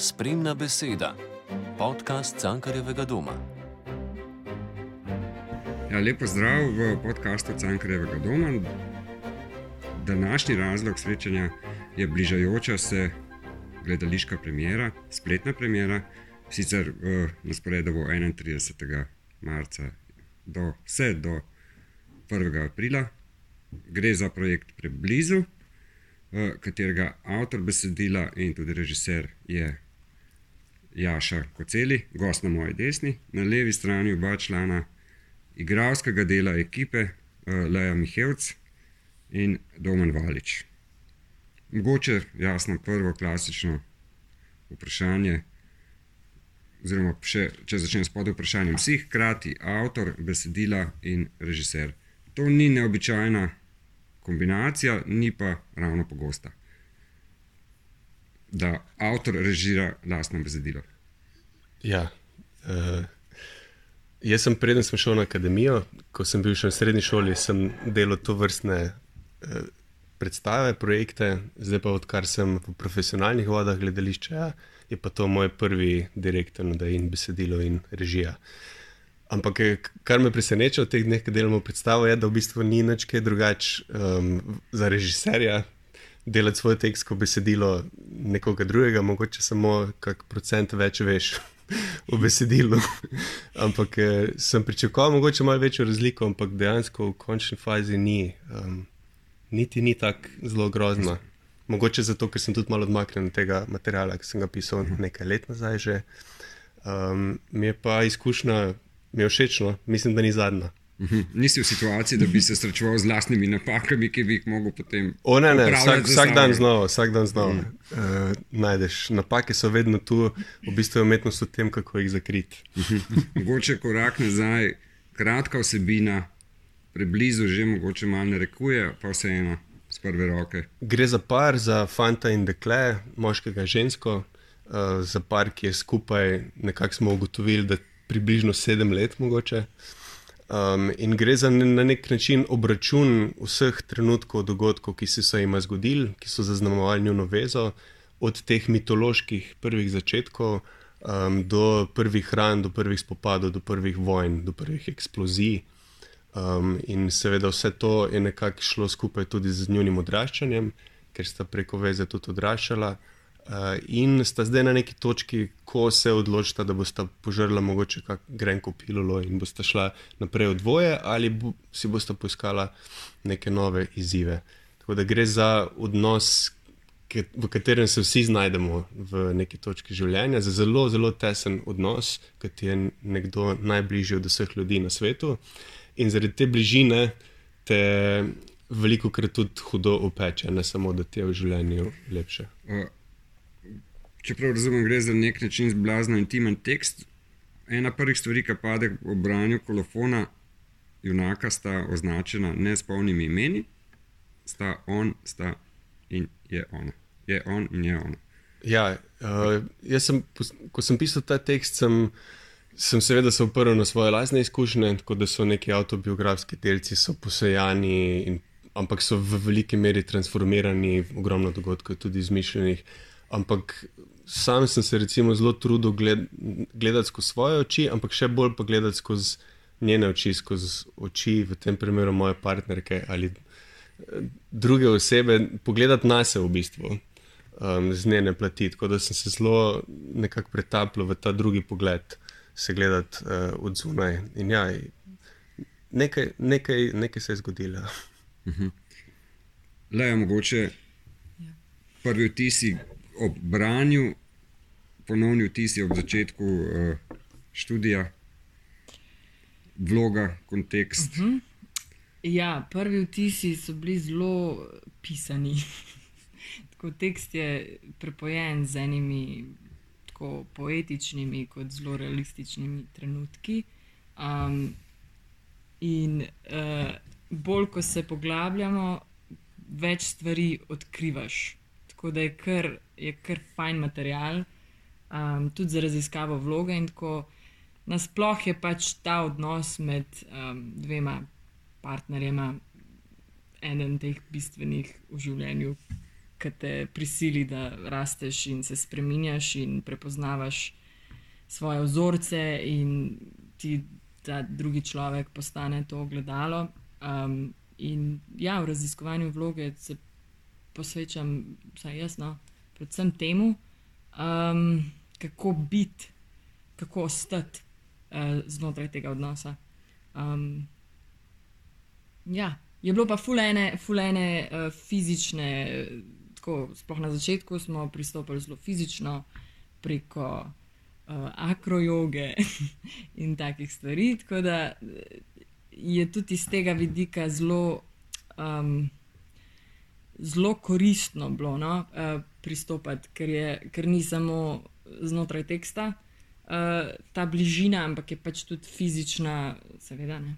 Spremna beseda, podcast Cankarjevega doma. Ja, lepo zdrav v podkastu Cankarjevega doma. Današnji razlog srečanja je bližajoča se gledališka premiera, spletna premiera, sicer na sporedu bo 31. marca vse do 1. aprila. Gre za projekt Preblizu, katerega avtor besedila in tudi režiser je Jaša Koceli, gost na moji desni, na levi strani oba člana igralskega dela ekipe, Leja Mihevc in Domen Valič. Mogoče, jasno, prvo klasično vprašanje, oziroma še, če začnem s podvprašanjem, si hkrati avtor besedila in režiser. To ni neobičajna kombinacija, ni pa ravno pogosta, da avtor režira lastno besedilo. Ja, jaz sem preden sem šel na akademijo, ko sem bil še v srednji šoli, sem delal tovrstne predstave, projekte, zdaj pa odkar sem v profesionalnih vodah gledališča, je pa to moj prvi direkten in besedilo in režija. Ampak kar me preseneča v teh dneh, ko delamo predstavo, je, da v bistvu ni nič kaj drugače za režiserja delati svoj tekst kot besedilo nekoga drugega, mogoče samo kak procent več veš v besedilu. Ampak sem pričakoval mogoče malo večjo razliko, ampak dejansko v končni fazi niti ni tako zelo grozno. Mogoče zato, ker sem tudi malo odmaknjen od tega materiala, ki sem ga pisal nekaj let nazaj že. Mi je pa izkušnja, mi je všečno, mislim, da ni zadnja. Nisi v situaciji, da bi se srečeval z lastnimi napakami, ki bi jih mogel potem vsak dan znova. Najdeš. Napake so vedno tu, v bistvu je umetnost v tem, kako jih zakriti. Mogoče korak nazaj, kratka vsebina, Preblizu že mogoče malo narekuje, pa vseeno z prve roke. Gre za par, za fanta in dekle, moškega in žensko, za par, ki je skupaj, nekako smo ugotovili, da približno 7 let mogoče. In gre za na nek način obračun vseh trenutkov, dogodkov, ki so se jima zgodili, ki so zaznamovali njuno vezo, od teh mitoloških prvih začetkov do prvih ran, do prvih spopadov, do prvih vojn, do prvih eksplozij. In seveda vse to je nekako šlo skupaj tudi z njunim odraščanjem, ker sta preko veze tudi odraščala. In sta zdaj na neki točki, ko se odločita, da bosta požrla mogoče kak grenko pilulo in bosta šla naprej v dvoje ali si bosta poiskala neke nove izzive. Tako da gre za odnos, v katerem se vsi znajdemo v neki točki življenja, za zelo, zelo tesen odnos, ki ti je nekdo najbližji od vseh ljudi na svetu. In zaradi te bližine te velikokrat tudi hudo opeče, ne samo, da ti je v življenju lepše. Čeprav razumem, gre za nek način blazno intimen tekst. Ena prvih stvari, ki pade ob branju kolofona junaka, sta označena ne s polnimi imeni, sta on, sta in je ona. Je on in je ona. Ja, ko sem pisal ta tekst, sem seveda se oprl na svoje lastne izkušnje, tako da so neki avtobiografski delci so posejani, ampak so v veliki meri transformirani, ogromno dogodkov tudi izmišljenih. Ampak sam sem se recimo zelo trudil gledati skozi svoje oči, ampak še bolj pa gledati skozi njene oči, skozi oči v tem primeru moje partnerke ali druge osebe, pogledati nase v bistvu z njene plati, tako da sem se zelo nekako pretapljal v ta drugi pogled, se gledati od zunaj. In ja, nekaj se je zgodilo. Leja, mogoče prvi vtisi ob branju, ponovni vtisi ob začetku študija, vloga, kontekst. Ja, prvi vtisi so bili zelo pisani. Tako, tekst je prepojen z enimi tako poetičnimi kot zelo realističnimi trenutki. In bolj, ko se poglabljamo, več stvari odkrivaš. Tako da je kar fajn material, tudi za raziskavo vloge in tako. Nasploh je pač ta odnos med dvema partnerjema eden teh bistvenih v življenju ki te prisili, da rasteš in se spreminjaš in prepoznavaš svoje vzorce in ti ta drugi človek postane to ogledalo. In ja, v raziskovanju vloge se posvečam, vsaj jaz, predvsem temu, kako biti, kako ostati znotraj tega odnosa. Ja, je bilo pa ful ene fizične, tako sploh na začetku smo pristopili zelo fizično preko akrojoge in takih stvari, tako da je tudi iz tega vidika zelo koristno bilo pristopati, ker ni samo znotraj teksta ta bližina, ampak je pač tudi fizična, seveda, ne.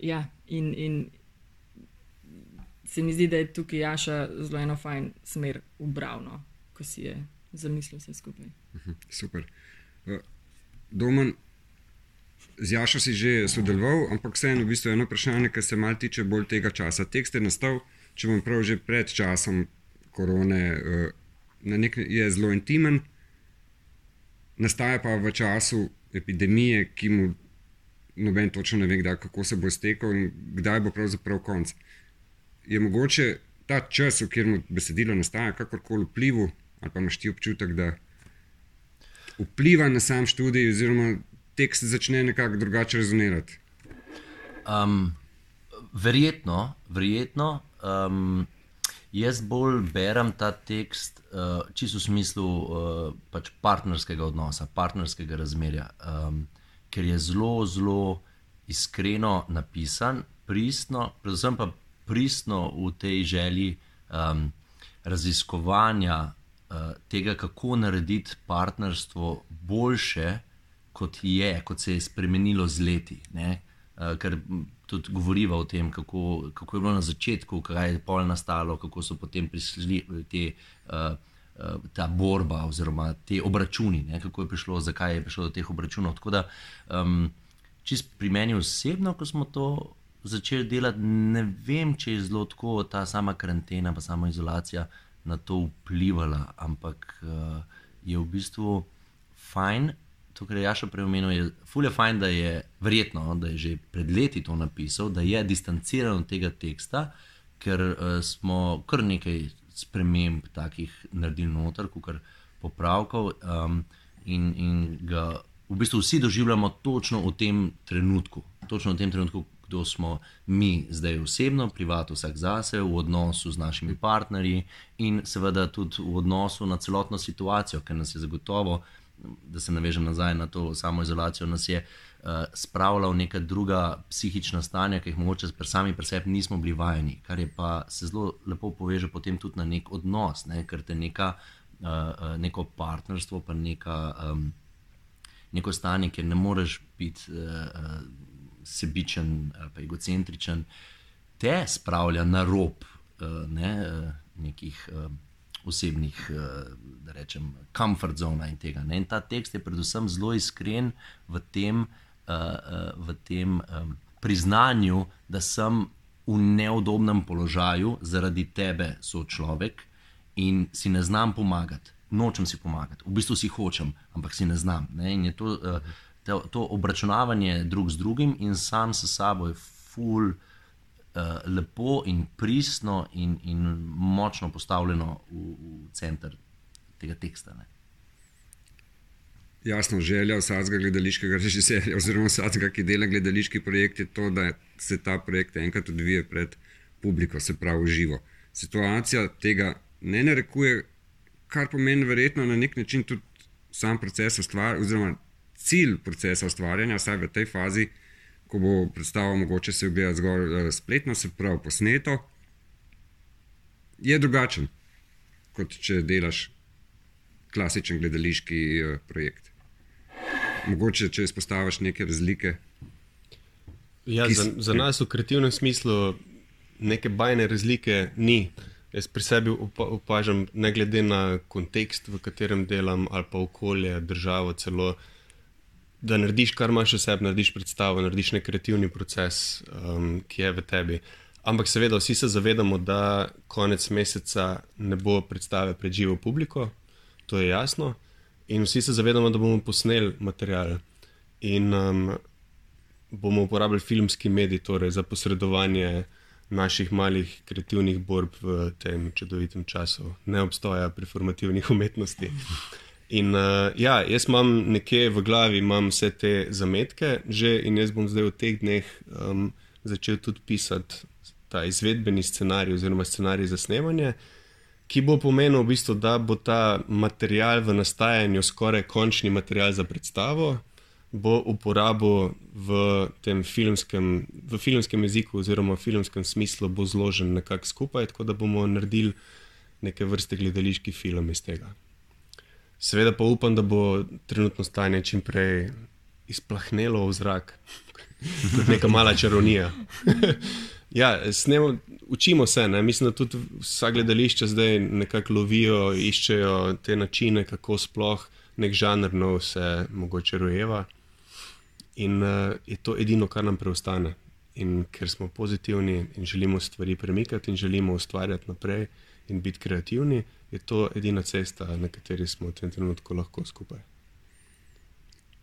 Ja, in se mi zdi, da je tukaj Jaša zelo eno fajn smer ubral, ko si je zamislil vse skupaj. Super. Domen, z Jašo si že sodeloval, ampak vseeno v bistvu eno vprašanje, ki se malo tiče bolj tega časa. Tekst je nastal, če bom prav, že pred časom korone, je zelo intimen, nastaja pa v času epidemije, ki mu noben točno ne ve, kdaj, kako se bo iztekel in kdaj bo pravzaprav konc. Je mogoče ta čas, v katerem besedilo nastaja, kakorkoli vplivu, ali pa imaš ti občutek, da vpliva na sam študij oziroma tekst začne nekako drugače rezonirati? Verjetno. Jaz bolj berem ta tekst čisto v smislu pač partnerskega odnosa, partnerskega razmerja, ker je zelo iskreno napisan, pristno, predvsem pa pristno v tej želji raziskovanja tega, kako narediti partnerstvo boljše, kot se je spremenilo z leti, ne? Ker tudi govoriva o tem, kako je bilo na začetku, kaj je pol nastalo, kako so potem prišli ta borba oziroma te obračuni, ne? Kako je prišlo, zakaj je prišlo do teh obračunov. Tako da čist pri meni osebno, ko smo to začeli delati, ne vem, če je zelo tako ta sama karantena pa sama izolacija na to vplivala, ampak je v bistvu fajn. To, kar je Jaša prej omenil, je ful je fajn, da je verjetno, da je že pred leti to napisal, da je distanciran od tega teksta, ker smo kar nekaj sprememb takih naredili noter, kakor popravkov in ga v bistvu vsi doživljamo točno v tem trenutku, kdo smo mi zdaj osebno, privatno vsak zase, v odnosu z našimi partnerji in seveda tudi v odnosu na celotno situacijo, ker nas je zagotovo, da se navežem nazaj na to samoizolacijo, nas je spravila v neka druga psihična stanja, ki jih mogoče sami pri sebi nismo bili vajeni, kar je pa se zelo lepo poveže potem tudi na nek odnos, ne? Ker te neko partnerstvo pa neko stanje, kjer ne moreš biti sebičen ali pa egocentričen, te spravlja na rob nekih osebnih, da rečem, comfort zona in tega. Ne? In ta tekst je predvsem zelo iskren v tem priznanju, da sem v neudobnem položaju zaradi tebe, sočlovek, in si ne znam pomagati. Nočem si pomagati. V bistvu si hočem, ampak si ne znam. Ne? In je to obračunavanje drug z drugim in sam s sabo je ful lepo in pristno in močno postavljeno v center tega teksta. Ne? Jasno, želja vsakega gledališkega režiserja oziroma vsakega, ki dela gledališki projekt, je to, da se ta projekt enkrat odvije pred publiko, se pravi živo. Situacija tega ne narekuje, kar pomeni verjetno na nek način tudi sam proces oziroma cilj procesa ustvarjanja, saj v tej fazi, ko bo predstava mogoče se ogleda zgolj spletno, se pravi posneto, je drugačen, kot če delaš klasičen gledališki projekt. Mogoče, če izpostaviš neke razlike. Ja, za nas v kreativnem smislu neke bajne razlike ni. Jaz pri sebi opažam, ne glede na kontekst, v katerem delam, ali pa okolje, državo celo, da narediš, kar imaš v sebi, narediš predstavo, narediš nek kreativni proces, ki je v tebi. Ampak seveda vsi se zavedamo, da konec meseca ne bo predstave pred živo publiko, to je jasno. In vsi se zavedamo, da bomo posneli material in bomo uporabljali filmski medij, torej za posredovanje naših malih kreativnih borb v tem čudovitem času neobstoja performativnih umetnosti. In jaz imam nekje v glavi imam vse te zametke že in jaz bom zdaj v teh dneh začel tudi pisati ta izvedbeni scenarij oziroma scenarij za snemanje, ki bo pomenil v bistvu, da bo ta material v nastajanju skoraj končni material za predstavo, bo uporabo v tem filmskem jeziku oziroma v filmskem smislu bo zložen nekako skupaj, tako da bomo naredili neke vrste gledališki film iz tega. Seveda pa upam, da bo trenutno stanje čim prej izplahnelo v zrak, kot neka mala čarovnija. Ja, učimo se, ne? Mislim, da tudi vsa gledališča zdaj nekako lovijo, iščejo te načine, kako sploh nek žanr nov se mogoče rojeva. In je to edino, kar nam preostane. In ker smo pozitivni in želimo stvari premikati in želimo ustvarjati naprej in biti kreativni, je to edina cesta, na kateri smo v tem trenutku lahko skupaj.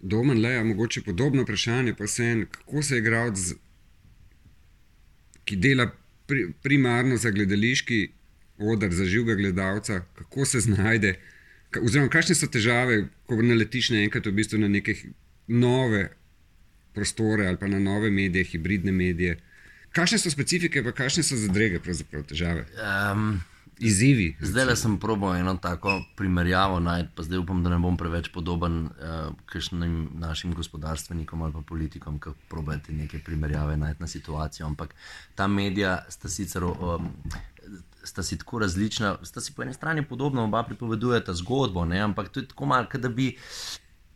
Domen, Leja, mogoče podobno vprašanje, pa kako se igralec, ki dela primarno za gledališki oder, za živega gledalca, kako se znajde, oziroma kakšne so težave, ko naletiš naenkrat v bistvu na neke nove prostore ali pa na nove medije, hibridne medije. Kakšne so specifike, pa kakšne so zadrege, pravzaprav težave? Izzivi. Zdaj sem probal eno tako primerjavo najti, pa zdaj upam, da ne bom preveč podoben kakšnim našim gospodarstvenikom ali pa politikom, ki probajo neke primerjave najti na situacijo, ampak ta medija sta sicer sta si tako različna, sta si po eni strani podobno, oba pripovedujeta zgodbo, ne? Ampak to je tako malo, da bi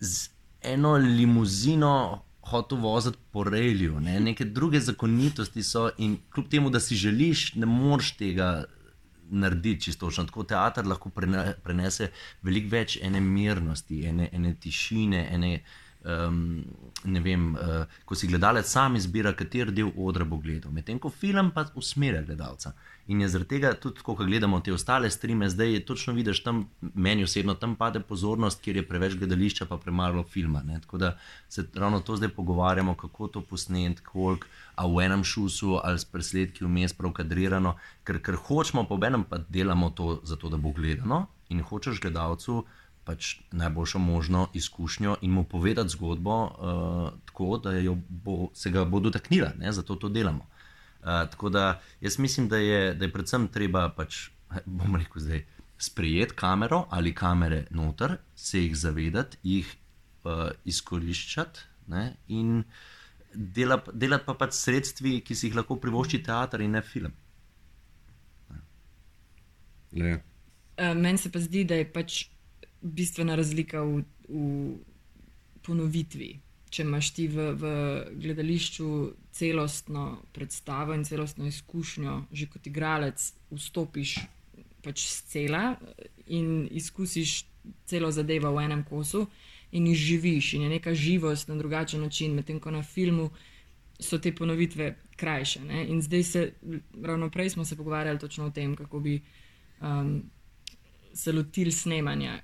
z eno limuzino hotel voziti po reliju, ne? Neke druge zakonitosti so in kljub temu, da si želiš, ne moreš tega narediti čistočno. Tako teater lahko prenese veliko več ene mirnosti, ene tišine, ne vem, ko si gledalec sam izbira, kateri del odra bo gledal. Medtem ko film pa usmerja gledalca. In je zaradi tega tudi, ko gledamo te ostale streame, zdaj je točno vidiš tam, meni osebno tam pade pozornost, kjer je preveč gledališča pa premalo filma. Ne? Tako da se ravno to zdaj pogovarjamo, kako to posneti, koliko, a v enem šusu ali s presledki vmes prav kadrirano, ker hočemo, pa obenem pa delamo to zato, da bo gledano in hočeš gledalcu pač najboljšo možno izkušnjo in mu povedati zgodbo tako, da se ga bo dotaknila, ne? Zato to delamo. Tako da jaz mislim, da je predvsem treba pač, bom rekel zdaj, sprejeti kamero ali kamere noter, se jih zavedati, jih izkoriščati, ne? In delati pa pač sredstvi, ki si jih lahko privošči teater in ne film. Meni se pa zdi, da je pač bistvena razlika v ponovitvi. Če imaš ti v gledališču celostno predstavo in celostno izkušnjo, že kot igralec vstopiš pač scela in izkusiš celo zadevo v enem kosu in jih živiš in je neka živost na drugačen način, medtem ko na filmu so te ponovitve krajše. Ne? In zdaj ravno prej smo se pogovarjali točno o tem, kako bi se lotili snemanja.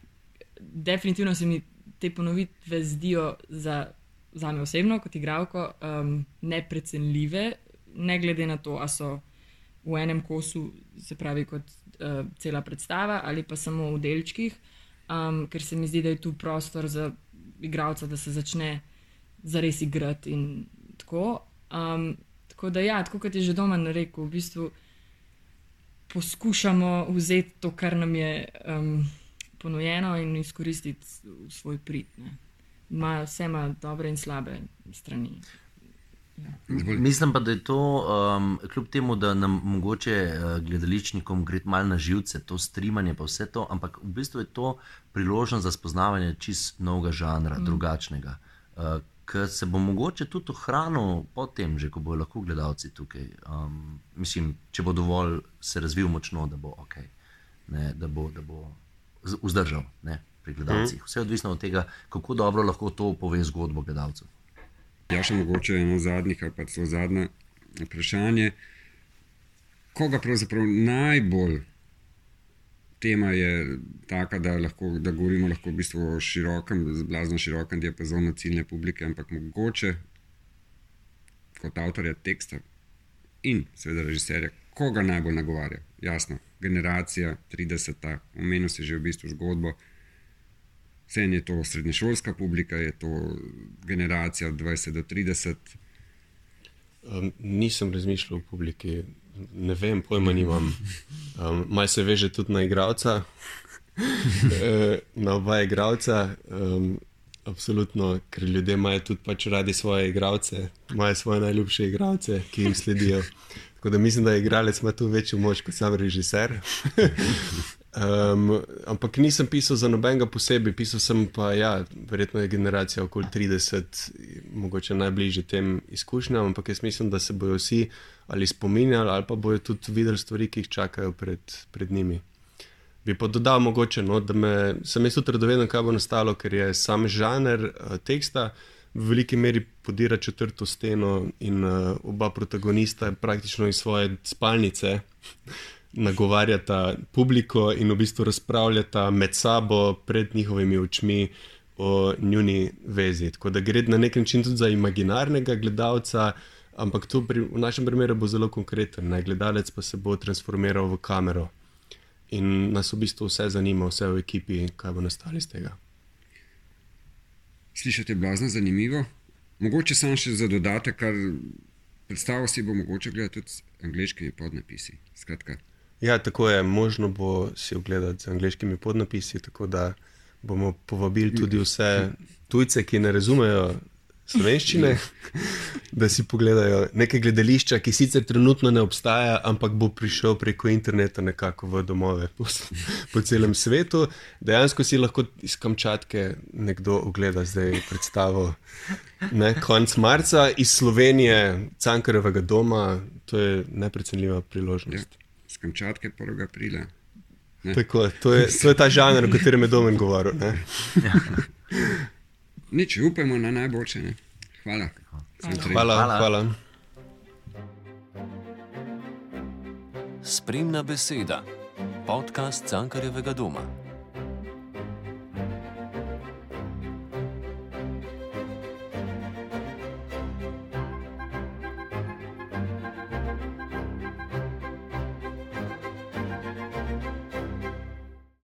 Definitivno se mi te ponovitve zdijo zame osebno, kot igralko, neprecenljive, ne glede na to, a so v enem kosu, se pravi kot cela predstava, ali pa samo v delčkih, ker se mi zdi, da je tu prostor za igralca, da se začne zares igrati in tako. Tako da ja, tako kot je že Domen rekel, v bistvu poskušamo vzeti to, kar nam je ponujeno in izkoristiti v svoj prid. Vse ima dobre in slabe strani. Ja. Mislim pa, da je to, kljub temu, da nam mogoče gledališčnikom gre malo na živce, to streamanje pa vse to, ampak v bistvu je to priložnost za spoznavanje čist novega žanra, drugačnega, ki se bo mogoče tudi ohranil potem, že ko bojo lahko gledalci tukaj. Mislim, če bo dovolj se razvil močno, da bo ok, ne, da bo vzdržal, ne, pri gledalcih. Vse je odvisno od tega, kako dobro lahko to pove zgodbo gledalcev. Ja, še mogoče eno zadnjih ali pa celo zadnje vprašanje. koga pravzaprav najbolj tema je taka, da govorimo lahko v bistvu o blazno širokem diapazonu ciljne publike, ampak mogoče kot avtorja teksta in seveda režiserja, koga najbolj nagovarja. Jasno, generacija 30, omenil si že v bistvu zgodbo, vsem je to srednješolska publika, je to generacija od 20 do 30. Nisem razmišljal o publiki, ne vem, pojma nimam. Malo se veže tudi na igralca, na oba igralca. Absolutno, ker ljudje imajo tudi pač radi svoje igralce, imajo svoje najljubše igralce, ki jim sledijo. Tako da mislim, da igralec ima tu večjo moč kot sam režiser. Ampak nisem pisal za nobenega posebej, pisal sem pa, ja, verjetno je generacija okoli 30, mogoče najbližje tem izkušnjam, ampak jaz mislim, da se bojo vsi ali spominjali ali pa bojo tudi videli stvari, ki jih čakajo pred njimi. Bi pa dodal mogoče, no, da sem jaz tudi radoveden, kaj bo nastalo, ker je sam žanr teksta v veliki meri podira četrto steno in oba protagonista praktično iz svoje spalnice nagovarjata publiko in v bistvu razpravljata med sabo pred njihovimi očmi o njuni vezi. Tako da gre na nek način tudi za imaginarnega gledalca, ampak to v našem primeru bo zelo konkreten. Gledalec pa se bo transformiral v kamero in nas v bistvu vse zanima, vse v ekipi, kaj bo nastalo iz tega. Slišati je blazno zanimivo. Mogoče sam še za dodatek, kar predstavo si bo mogoče gledati tudi z angleškimi podnapisi. Skratka. Ja, tako je, možno bo si ogledati z angleškimi podnapisi, tako da bomo povabili tudi vse tujce, ki ne razumejo slovenščine, da si pogledajo nekaj gledališča, ki sicer trenutno ne obstaja, ampak bo prišel preko interneta nekako v domove po celem svetu. Dejansko si lahko iz Kamčatke nekdo ogleda zdaj predstavo konec marca, iz Slovenije, Cankarjevega doma, to je neprecenljiva priložnost. Ja. Z Kamčatke 1. aprila. Tako, to je ta žanr, o katerem je Domen govoril. Nič, upajmo na najboljše. Ne? Hvala. Hvala. Spremna beseda. Podcast Cankarjevega doma.